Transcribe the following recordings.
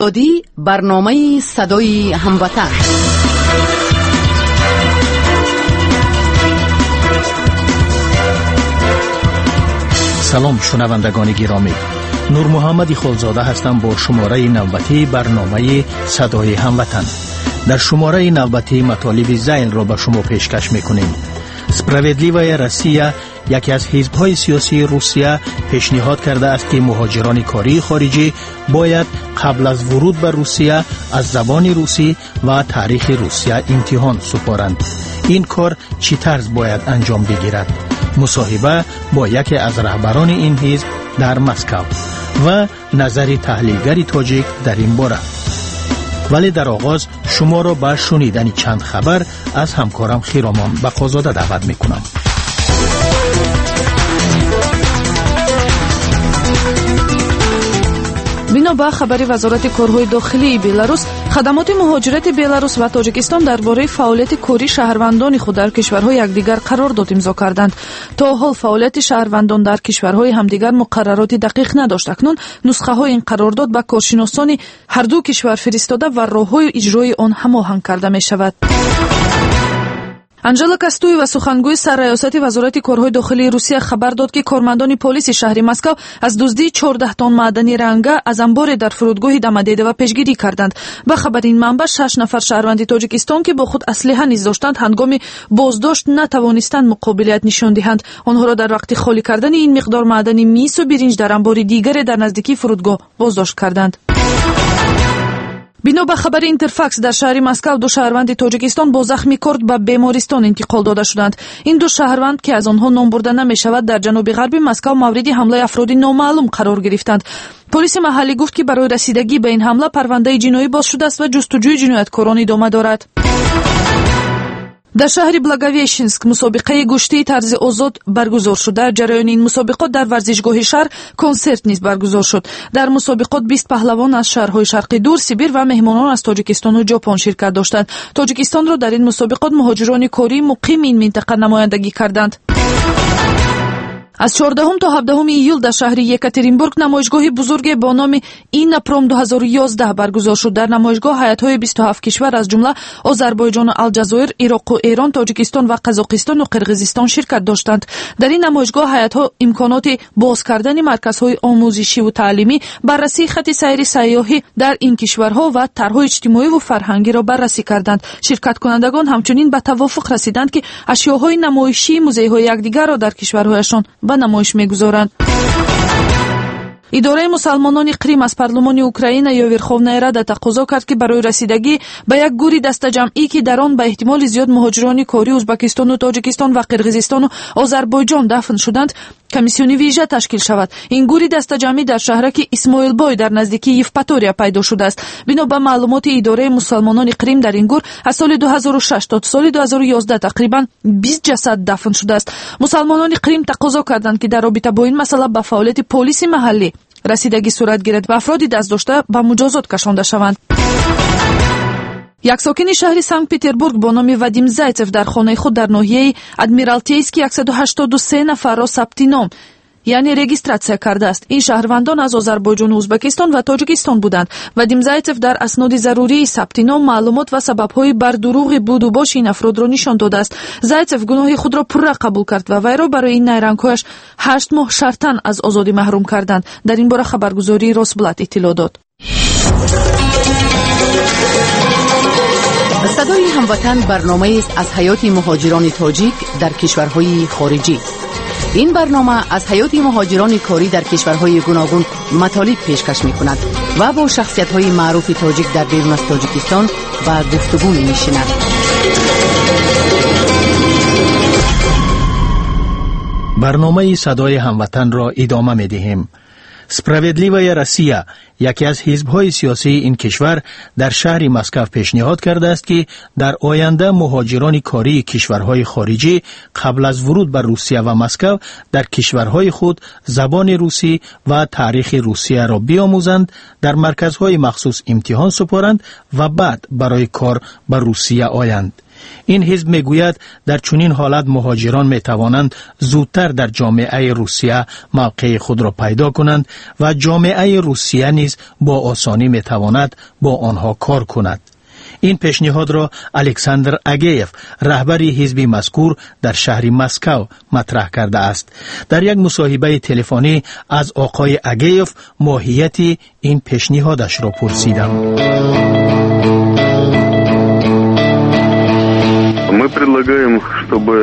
Озодӣ, барномаи садои ҳамватан. Салом, шунавандагони гиромӣ. Нурмуҳаммади Холзода ҳастам бо шумораи навбатии барномаи садои ҳамватан. Дар шумораи навбатӣ матолиби зайлро ба шумо пешкаш мекунем. Справедливая Россия, яке аз ҳизбҳои сиёсии Русия, пешниҳод кардааст, ки муҳоҷирони кории хориҷӣ бояд қабл аз вуруд ба Русия аз забони русӣ ва таърихи Русия имтиҳон супоранд. Ин кор чӣ тарз бояд анҷом бигирад? Мусоҳиба бо яке аз раҳбарони ин ҳизб дар Москав ва назари таҳлилгари тоҷик дар ин бора. Вале дар оғоз шуморо ба шунидани чанд хабар аз ҳамкорам Хиромон Бақозода даъват мекунам. Бино ба хабари Вазорати корҳои дохилии Беларус, хадамоти муҳоҷирати Беларус ва Тоҷикистон дар бораи фаъолияти кории шаҳрвандони худ дар кишварҳои якдигар қарордод имзо карданд. То ҳол фаъолияти шаҳрвандон дар кишварҳои ҳамдигар муқаррароти дақиқ надошт. Акнун нусхаҳои ин қарордод ба коршиносони ҳарду кишвар фиристода ва роҳҳои иҷрои он ҳамоҳанг карда мешавад. Анжела Кастуева, сухангӯи сарраёсати Вазорати корҳои дохилии Русия, хабар дод, ки кормандони полиси шаҳри Москав аз дуздии 14 тонн маъдани ранга аз амборе дар фурудгоҳи Домодедово пешгирӣ карданд. Ба хабари ин манбаъ, шаш нафар шаҳрванди Тоҷикистон, ки бо худ аслиҳа низ доштанд, ҳангоми боздошт натавонистанд муқобилият нишон диҳанд. Онҳоро дар вақти холӣ кардани ин миқдор маъдани мису биринҷ дар амбори дигаре дар наздикии фурудгоҳ боздошт карданд. Бино ба хабари Интерфакс, дар шаҳри Москав ду шаҳрванди Тоҷикистон бо захми корд ба бемористон интиқол дода шуданд. Ин ду шаҳрванд, ки аз онҳо ном бурда намешавад, дар ҷануби ғарби Москав мавриди ҳамлаи афроди номаълум қарор гирифтанд. Полиси маҳаллӣ гуфт, ки барои расидагӣ ба ин ҳамла парвандаи ҷиноӣ боз шудааст ва ҷустуҷӯи ҷинояткорон идома дорад. Дар шаҳри Благовещенск мусобиқаи гӯштии тарзи озод баргузор шуд. Дар ҷараёни ин мусобиқот дар варзишгоҳи шаҳр консерт низ баргузор шуд. Дар мусобиқот 20 паҳлавон аз шаҳрҳои Шарқи Дур, Сибир ва меҳмонон аз Тоҷикистону Ҷопон ширкат доштанд. Тоҷикистонро дар ин мусобиқот муҳоҷирони кории муқими ин минтақа намояндагӣ карданд. Аз 14 то 17 июл дар шаҳри Екатеринбург намоишгоҳи бузурге бо номи Иннопром 2011 баргузор шуд. Дар намоишгоҳ ҳайатҳои 27 кишвар, аз ҷумла Озарбойҷону Алҷазоир, Ироқу Эрон, Тоҷикистон ва Қазоқистону Қирғизистон ширкат доштанд. Дар ин намоишгоҳ ҳайатҳо имконоти боз кардани марказҳои омӯзишиву таълимӣ, баррасии хати сайри сайёҳӣ дар ин кишварҳо ва тарҳҳои иҷтимоиву фарҳангиро баррасӣ карданд. Ширкаткунандагон ҳамчунин ба тавофуқ расиданд, ки ашёҳои намоишии музейҳои якдигарро дар кишварҳояшон ба намоиш мегузоранд. Идораи мусалмонони Қрим аз парлумони Украина ё Верховная Рада тақозо кард, ки барои расидагӣ ба як гури дастаҷамъӣ, ки дар он ба эҳтимоли зиёд муҳоҷирони кории Узбакистону Тоҷикистон ва Қирғизистону Озарбойҷон дафн шуданд, комиссиони вижа ташкил шавад. Ин гури дастаҷамъӣ дар шаҳраки Исмоилбой дар наздикии Евпатория пайдо шудааст. Бино ба маълумоти идораи мусалмонони Қрим, дар ин гур аз соли 2006 то соли 2011 тақрибан 20 ҷасад дафн шудааст. Мусалмонони Қрим тақозо карданд, ки дар робита бо ин масъала ба фаъолияти полиси маҳаллӣ расидагӣ сурат гирад ва афроди дастдошта ба муҷозот кашонда шаванд. Як сокини шаҳри Санкт Петербург бо номи Вадим Зайцев дар хонаи худ дар ноҳияи Адмиралтейский 183 нафарро сабти ном, яъне регистратсия кардааст. Ин шаҳрвандон аз Озарбойҷону Узбекистон ва Тоҷикистон буданд. Вадим Зайцев дар асноди зарурии сабти ном маълумот ва сабабҳои бардуруғи будубоши ин афродро нишон додааст. Зайцев гуноҳи худро пурра қабул кард ва вайро барои ин найрангҳояш 8 моҳ шартан аз озодӣ маҳрум карданд. Дар ин бора хабаргузории Росблат иттилоъ дод. Садои ҳамватан барномаест аз ҳаёти муҳоҷирони тоҷик дар кишварҳои хориҷӣ. Ин барнома аз ҳаёти муҳоҷирони корӣ дар кишварҳои гуногун матолиб пешкаш мекунад ва бо шахсиятҳои маъруфи тоҷик дар берун аз Тоҷикистон ба гуфтугӯ менишинад. Барномаи садои ҳамватанро идома медиҳем. Справедливая Россия, яке аз ҳизбҳои сиёсии ин кишвар, дар шаҳри Москав пешниҳод кардааст, ки дар оянда муҳоҷирони кории кишварҳои хориҷӣ қабл аз вуруд ба Русия ва Москав дар кишварҳои худ забони русӣ ва таърихи Русияро биомӯзанд, дар марказҳои махсус имтиҳон супоранд ва баъд барои кор ба Русия оянд. Ин ҳизб мегӯяд, дар чунин ҳолат муҳоҷирон метавонанд зудтар дар ҷомеаи Русия мавқеи худро пайдо кунанд ва ҷомеаи Русия низ бо осонӣ метавонад бо онҳо кор кунад. Ин пешниҳодро Александр Агеев, раҳбари ҳизби мазкур дар шаҳри Москав матраҳ кардааст. Дар як мусоҳибаи телефонӣ аз оқои Агеев моҳияти ин пешниҳодашро пурсидам. Мы предлагаем, чтобы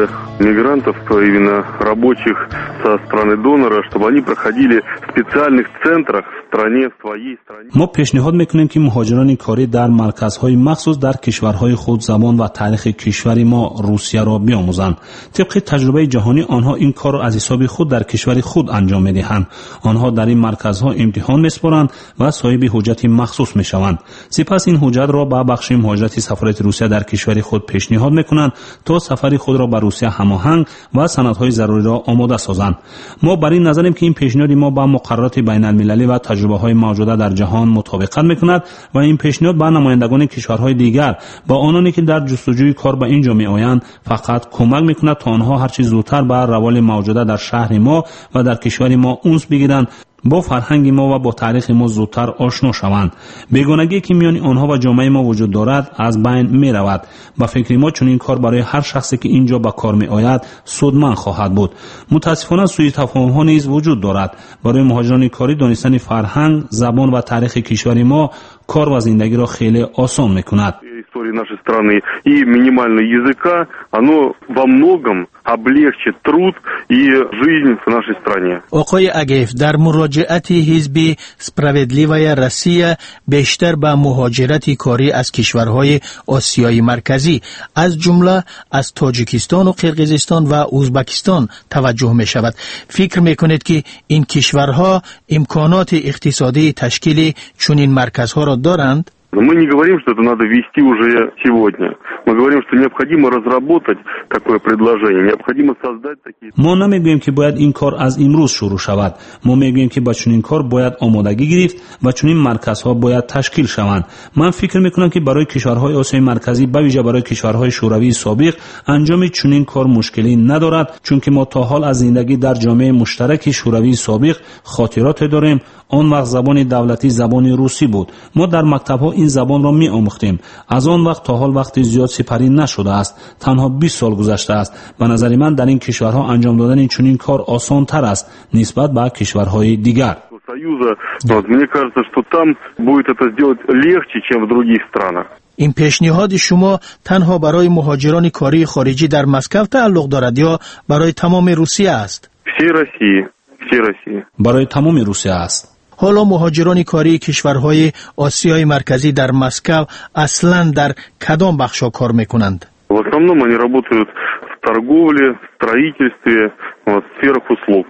мигрантов, именно рабочих со страны донора, чтобы они проходили в специальных центрах в стране, в своей стране. Мо пешниҳод мекунем, ки муҳоҷирони корӣ дар марказҳои махсус дар кишварҳои худ забон ва таърихи кишвари мо Русияро биомӯзанд. Тибқи таҷрибаи ҷаҳонӣ, онҳо ин корро аз ҳисоби худ дар кишвари худ анҷом медиҳанд. Онҳо дар ин марказҳо имтиҳон месупоранд ва соҳиби ҳуҷҷати махсус мешаванд. Сипас ин ҳуҷҷатро ба бахши муҳоҷирати сафорати Русия дар кишвари худ пешниҳод мекунанд, то сафари худро ба Русия ҳамоҳанг ва санадҳои заруриро омода созанд. Мо бар ин назарем, ки ин пешниҳоди мо ба муқаррароти байналмилалӣ ва таҷрибаҳои мавҷуда дар ҷаҳон мутобиқат мекунад ва ин пешниҳод ба намояндагони кишварҳои дигар ва ононе, ки дар ҷустуҷӯи кор ба ин ҷо меоянд, фақат кӯмак мекунад, то онҳо ҳарчи зудтар ба раволи мавҷуда дар шаҳри мо ва дар кишвари мо унс бигиранд, бо фарҳанги мо ва бо таърихи мо зудтар ошно шаванд. Бегонагие, ки миёни онҳо ва ҷомеаи мо вуҷуд дорад, аз байн меравад. Ба фикри мо, чунин кор барои ҳар шахсе, ки ин ҷо ба кор меояд, судманд хоҳад буд. Мутаассифона, сӯитафоҳумҳо низ вуҷуд дорад. Барои муҳоҷирони корӣ донистани фарҳанг, забон ва таърихи кишвари мо кор ва зиндагиро хеле осон мекунад. Истории нашей страны и минимального языка, оно во многом облегчит труд и жизнь в нашей стране. Оқои Агеев, дар муроҷиати ҳизби Справедливая Россия бештар ба муҳоҷирати корӣ аз кишварҳои Осиёи Марказӣ, аз ҷумла аз Тоҷикистону Қирғизистон ва Узбакистон таваҷҷӯҳ мешавад. Фикр мекунед, ки ин кишварҳо имконоти иқтисодии ташкили чунин марказҳоро доранд? Мы не говорим, что это надо ввести уже сегодня. Мы говорим, что необходимо разработать такое предложение, необходимо создать такие. Мо намегӯем, ки бояд ин кор аз имрӯз шурӯъ шавад. Мо мегӯем, ки ба чунин кор бояд омодагӣ гирифт ва чунин марказҳо бояд ташкил шаванд. Ман фикр мекунам, ки барои кишварҳои Осиёи Марказӣ, ба вижа барои кишварҳои Шӯравии собиқ, анҷоми чунин кор мушкилӣ надорад, чунки мо то ҳол аз зиндагӣ дар ҷомеаи муштараки Шӯравии собиқ хотироте дорем. Он вақт забони давлатӣ забони русӣ буд. Мо дар мактабҳо ин забонро меомӯхтем. Аз он вақт то ҳол вақти зиёд сипарӣ нашудааст, танҳо 20 сол гузаштааст. Ба назари ман, дар ин кишварҳо анҷом додани чунин кор осонтар аст нисбат ба кишварҳои дигар. Союза. Вот, мне кажется, что там будет это сделать легче, чем в других странах. Ин пешниҳоди шумо танҳо барои муҳоҷирони кории хориҷӣ дар Москав тааллуқ дорад ё барои тамоми Русия аст? Всей России. Всей России. Барои тамоми Русия аст. Ҳоло муҳоҷирони кории кишварҳои Осиёи Марказӣ дар Москав аслан дар кадом бахшҳо кор мекунанд? В основном они работают в торговле, в строительстве, вот, в сферах услуг.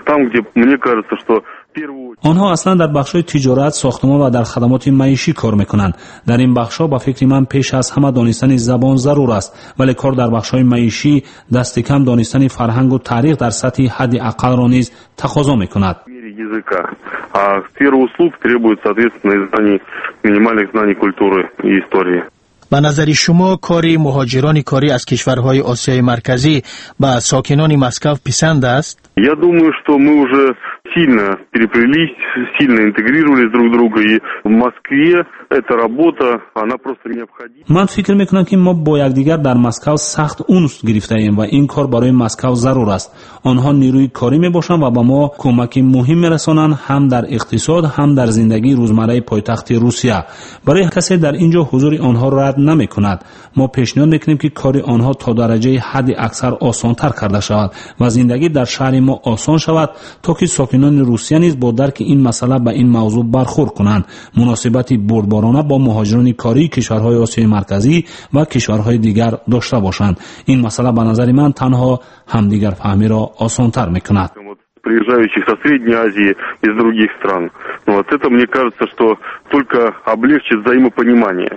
Там, где, мне кажется, что Онҳо аслан дар бахшҳои тиҷорат, сохтмон ва дар хадамоти маишӣ кор мекунанд. Дар ин бахшҳо, ба фикри ман, пеш аз ҳама донистани забон зарур аст, вале кор дар бахшҳои маишӣ дасти кам донистани фарҳангу таърих дар сатҳи ҳадди ақаллро низ тақозо мекунад. Языка. А сфера услуг требует, соответственно, знаний, минимальных знаний культуры и истории. Ба назари шумо, кори муҳоҷирони корӣ аз кишварҳои Осиёи Марказӣ ба сокинони Москав писанд аст? Я думаю, что мы уже сильно переплелись, сильно интегрировались друг в друга, и в Москве эта работа, она просто необходима. Ман фикр мекунам, ки мо бо якдигар дар Москав сахт унс гирифтаем ва ин кор барои Москав зарур аст. Онҳо нерӯи корӣ мебошанд ва ба мо кӯмаки муҳим мерасонанд ҳам дар иқтисод, ҳам дар зиндагии рӯзмарраи пойтахти Русия. Барои касе дар ин ҷо ҳузури онҳо рад намекунад. Мо пешниҳод мекунем, ки кори онҳо то дараҷаи ҳадди аксар осонтар карда шавад ва зиндагӣ дар шаҳри мо осон шавад, то ки сокинони Русия низ бо дарки ин масъала ба ин мавзӯъ бархӯрд кунанд, муносибати бурдборона бо муҳоҷирони кории кишварҳои Осиёи Марказӣ ва кишварҳои дигар дошта бошанд. Ин масъала, ба назари ман, танҳо ҳамдигарфаҳмиро осонтар мекунад. Приезжающих со Средней Азии, из других стран. Вот это, мне кажется, что только облегчит взаимопонимание.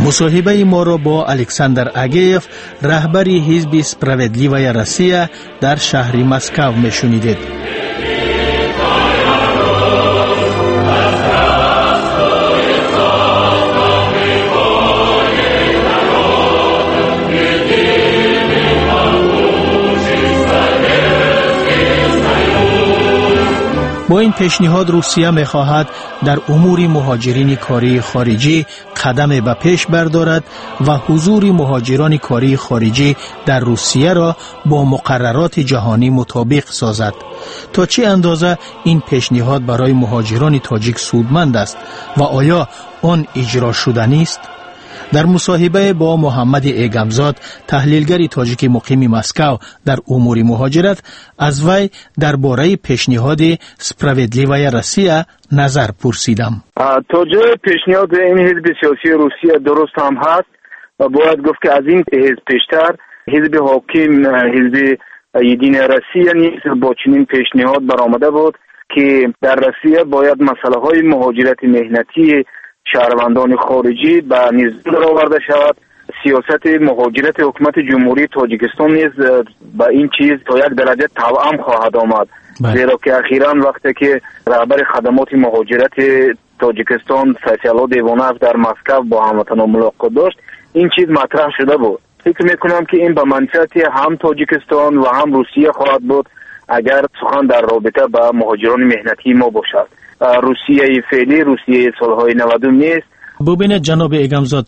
Мусоҳибаи моро бо Александр Агеев, раҳбари ҳизби Справедливая Россия дар шаҳри Москав мешунидед. Бо ин пешниҳод Русия мехоҳад дар умури муҳоҷирини кории хориҷӣ қадаме ба пеш бардорад ва ҳузури муҳоҷирони кории хориҷӣ дар Русияро бо муқаррароти ҷаҳонӣ мутобиқ созад. То чӣ андоза ин пешниҳод барои муҳоҷирони тоҷик судманд аст ва оё он иҷро шуданист? Дар мусоҳибае бо Муҳаммади Эгамзод, таҳлилгари тоҷики муқими Москав дар умури муҳоҷират, аз вай дар бораи пешниҳоди «Справедливая Россия» назар пурсидам. То ҷои пешниҳоди ин ҳизби сиёсии Русия дуруст ҳам ҳаст ва бояд гуфт, ки аз ин ҳизб пештар ҳизби ҳоким, ҳизби «Единая Россия» низ бо чунин пешниҳод баромада буд, ки дар Россия бояд масъалаҳои муҳоҷирати меҳнатии шаҳрвандони хориҷӣ ба низом дароварда шавад. Сиёсати муҳоҷирати ҳукумати Ҷумҳурии Тоҷикистон низ ба ин чиз то як дараҷа тавъам хоҳад омад, зеро ки ахиран вақте ки раҳбари хадамоти муҳоҷирати Тоҷикистон Сайфиалло Девонаев дар Москав бо ҳамватанон мулоқот дошт, ин чиз матраҳ шуда буд. Фикр мекунам, ки ин ба манфиати ҳам Тоҷикистон ва ҳам Русия хоҳад буд, агар сухан дар робита ба муҳоҷирони меҳнатии мо бошад. Русияи феълӣ Русияи солҳои 90 нест. Бубинед, ҷаноби Эгамзод,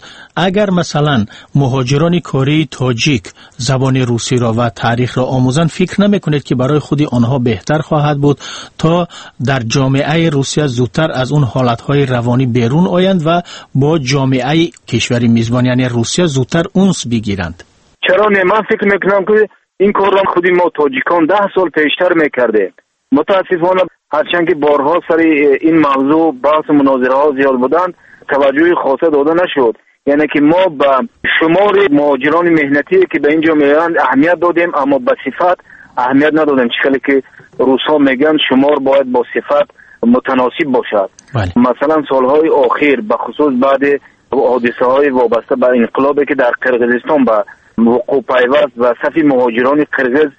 агар масалан муҳоҷирони кории тоҷик забони русиро ва таърихро омӯзанд, фикр намекунед, ки барои худи онҳо беҳтар хоҳад буд, то дар ҷомеаи Русия зудтар аз он ҳолатҳои равонӣ берун оянд ва бо ҷомеаи кишвари мизбон, яъне Русия, зудтар унс бигиранд? Чаро не? Ман фикр мекунам, ки ин корро худи мо тоҷикон 10 сол пештар мекардем. Мутаассифона, ҳарчанд ки борҳо сари ин мавзӯъ баҳсу мунозираҳо зиёд буданд, таваҷҷӯҳи хоса дода нашуд. Яъне ки мо ба шумори муҳоҷирони меҳнатие, ки ба ин ҷо меоянд, аҳамият додем, аммо ба сифат аҳамият надодем. Чӣ хеле ки русҳо мегӯянд, шумор бояд бо сифат мутаносиб бошад. Масалан, солҳои охир, бахусус баъди ҳодисаҳои вобаста ба инқилобе, ки дар Қирғизистон ба вуқӯъ пайваст ва сафи муҳоҷирони қирғиз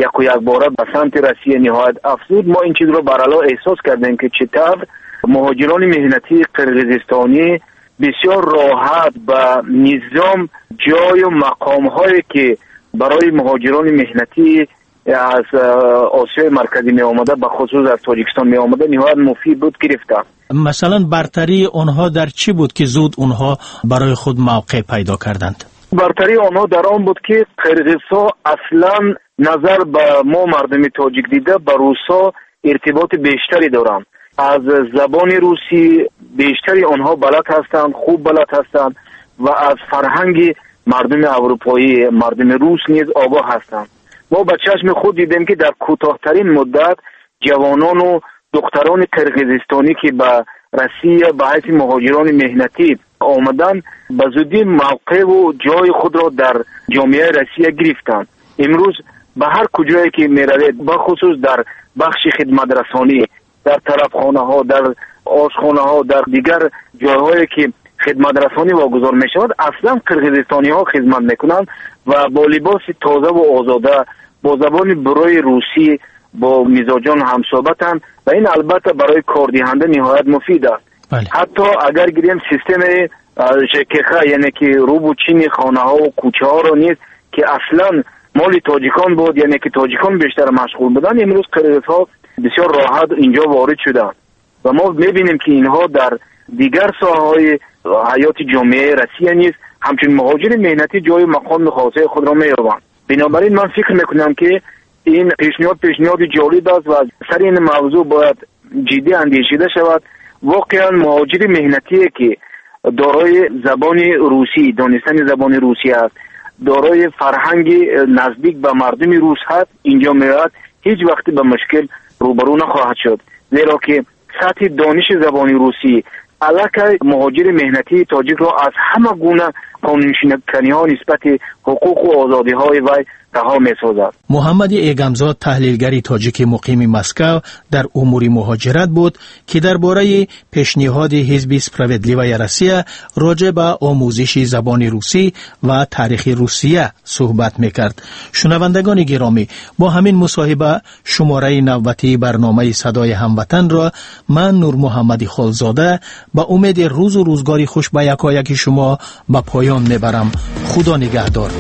яку якбора ба самти Россия ниҳоят афзуд, мо ин чизро барало эҳсос кардем, ки чӣ тавр муҳоҷирони меҳнатии қирғизистонӣ бисёр роҳат ба низом, ҷою мақомҳое, ки барои муҳоҷирони меҳнатӣ аз Осиёи Марказӣ меомада, бахусус аз Тоҷикистон меомада, ниҳоят муфид буд, гирифтанд. Масалан, бартарии онҳо дар чӣ буд, ки зуд онҳо барои худ мавқеъ пайдо карданд? Бартарии онҳо дар он буд, ки қирғизҳо аслан назар ба мо мардуми тоҷик дида ба русҳо иртиботи бештаре доранд. Аз забони русӣ бештари онҳо балад ҳастанд, хуб балад ҳастанд ва аз фарҳанги мардуми аврупоӣ, мардуми рус низ огоҳ ҳастанд. Мо ба чашми худ дидем, ки дар кӯтоҳтарин муддат ҷавонону духтарони қирғизистонӣ, ки ба Россия ба ҳайси муҳоҷирони меҳнатӣ омаданд, ба зудӣ мавқеъу ҷои худро дар ҷомеаи Россия гирифтанд. Имрӯз ба ҳар куҷое ки меравед, бахусус дар бахши хидматрасонӣ, дар тарабхонаҳо, дар ошхонаҳо, дар дигар ҷойҳое ки хидматрасонӣ вогузор мешавад, аслан қирғизистониҳо хидмат мекунанд ва бо либоси тозаву озода, бо забони бурои русӣ бо мизоҷон ҳамсӯҳбатанд ва ин албатта барои кордиҳанда ниҳоят муфид аст. Ҳатто агар гирем системаи ЖКХ, яъне ки рубу чини хонаҳову кӯчаҳоро низ, ки аслан моли тоҷикон буд, яъне ки тоҷикон бештар машғул буданд, имрӯз қирғизҳо бисёр роҳат инҷо ворид шуданд ва мо мебинем, ки инҳо дар дигар соҳаҳои ҳаёти ҷомеаи Россия низ ҳамчун муҳоҷири меҳнатӣ ҷою мақоми хосаи худро меёбанд. Бинобар ин ман фикр мекунам, ки ин пешниҳод пешниҳоди ҷолиб аст ва сари ин мавзӯъ бояд ҷиддӣ андешида шавад. Воқеан муҳоҷири меҳнатие, ки дорои забони русӣ, донистани забони русӣ аст, дорои фарҳанги наздик ба мардуми рус ҳаст, инҷо меояд, ҳеҷ вақте ба мушкил рӯбарӯ нахоҳад шуд, зеро ки сатҳи дониши забони русӣ аллакай муҳоҷири меҳнатии тоҷикро аз ҳама гуна қонуншиканиҳо нисбати ҳуқуқу озодиҳои вай раҳо месозад. Муҳаммади Эгамзод, таҳлилгари тоҷики муқими Москав дар умури муҳоҷират буд, ки дар бораи пешниҳоди ҳизби «Справедливая Россия» роҷеъ ба омӯзиши забони русӣ ва таърихи Русия суҳбат мекард. Шунавандагони гиромӣ, бо ҳамин мусоҳиба шумораи навбатии барномаи «Садои ҳамватанро» ман, Нурмуҳаммади Холзода, ба умеди рӯзу рӯзгори хуш ба якояки шумо ба поён мебарам. Худо нигаҳдор.